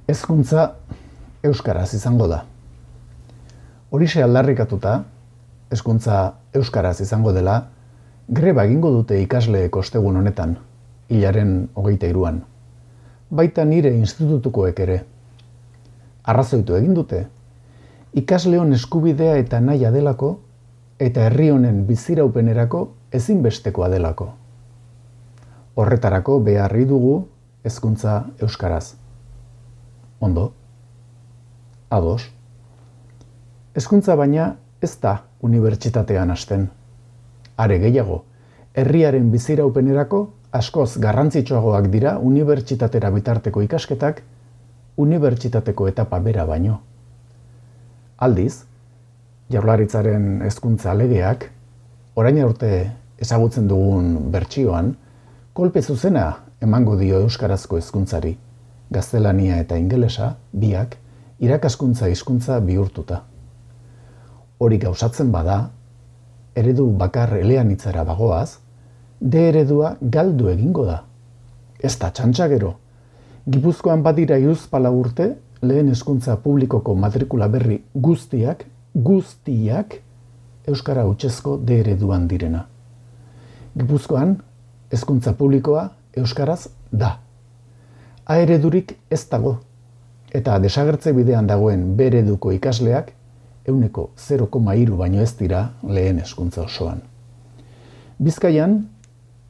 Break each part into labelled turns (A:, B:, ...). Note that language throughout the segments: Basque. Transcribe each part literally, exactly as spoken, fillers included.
A: Hezkuntza euskaraz izango da. Horixe aldarrikatuta, hezkuntza euskaraz izango dela, greba egingo dute ikasleek ostegun honetan, hilaren hogeita hiruan. Baita nire institutukoek ere. Arrazoitu egin dute, ikasleon eskubidea eta nahia delako, eta herri honen biziraupenerako ezinbestekoa delako. Horretarako beharri dugu hezkuntza euskaraz. Ondo, ados. Hezkuntza baina ez da unibertsitatean hasten. Are gehiago, herriaren biziraupenerako askoz garrantzitsuagoak dira unibertsitatera bitarteko ikasketak, unibertsitateko etapa bera baino. Aldiz, Jaurlaritzaren hezkuntza legeak, orain arte ezagutzen dugun bertsioan, kolpe zuzena emango dio euskarazko hezkuntzari, gaztelania eta ingelesa, biak, irakaskuntza hizkuntza bihurtuta. Hori gauzatzen bada, eredu bakar eleanitzara bagoaz, D eredua galdu egingo da. Ez da txantxa gero. Gipuzkoan badira hiruzpalau urte, lehen hezkuntza publikoko matrikula berri guztiak, guztiak, euskara hutsezko D ereduan direna. Gipuzkoan, hezkuntza publikoa euskaraz da. A eredurik ez dago, eta desagertze bidean dagoen B ereduko ikasleak ehuneko zero koma hiru baino ez dira lehen hezkuntza osoan. Bizkaian,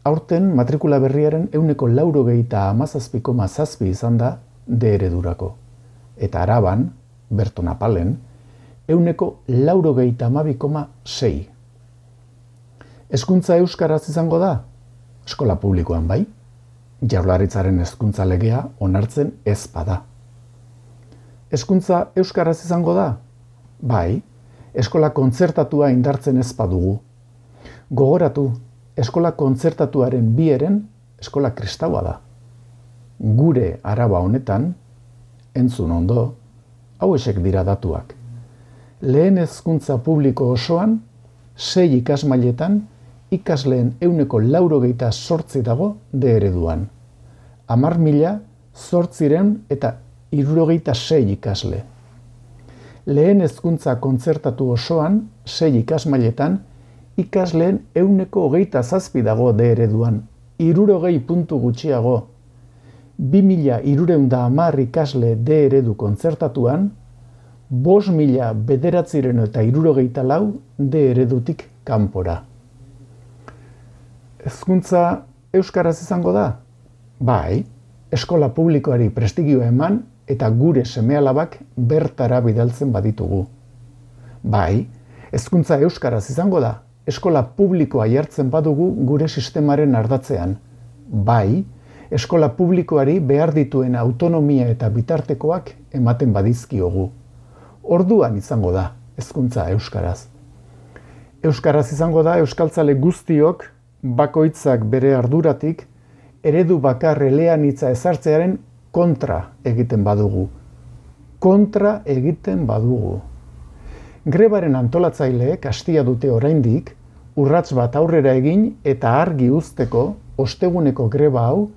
A: aurten matrikula berriaren ehuneko laurogeita hamazazpi koma zazpi izan da D eredurako, eta Araban, Berton Apalen, ehuneko laurogeita hamabi koma sei. Hezkuntza euskaraz izango da? Eskola publikoan bai? Jaurlaritzaren hezkuntza legea onartzen ez bada. Hezkuntza euskaraz izango da? Bai, eskola kontzertatua indartzen ez badugu. Gogoratu, eskola kontzertatuaren bieren eskola kristaua da. Gure Araba honetan, entzun ondo, hauexek dira datuak. Lehen hezkuntza publiko osoan, sei ikasmailetan, ikasleen ehuneko laurogeita zortzi dago D ereduan. Hamar mila zortziren eta hirurogeita sei ikasle. Lehen hezkuntza kontzertatu osoan, sei ikasmailetan, ikasleen ehuneko hogeita zazpi dago D ereduan, hirurogei puntu gutxiago. Bi mila hirurehun eta hamar ikasle D eredu kontzertatuan, bost mila bederatziren eta hirurogeita lau D eredutik kanpora. Hezkuntza euskaraz izango da? Bai, eskola publikoari prestigioa eman eta gure seme-alabak bertara bidaltzen baditugu. Bai, hezkuntza euskaraz izango da, eskola publikoa jartzen badugu gure sistemaren ardatzean. Bai, eskola publikoari behar dituen autonomia eta bitartekoak ematen badizkiogu. Orduan izango da hezkuntza euskaraz. Euskaraz izango da euskaltzale guztiok bakoitzak bere arduratik eredu bakar eleanitza ezartzearen kontra egiten badugu. Kontra egiten badugu. Grebaren antolatzaileek hastia dute oraindik urrats bat aurrera egin eta argi uzteko osteguneko greba hau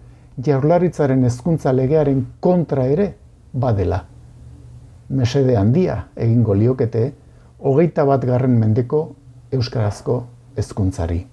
A: Jaurlaritzaren hezkuntza legearen kontra ere badela. Mesede handia egingo liokete hogeita bat garren mendeko euskarazko hezkuntzari.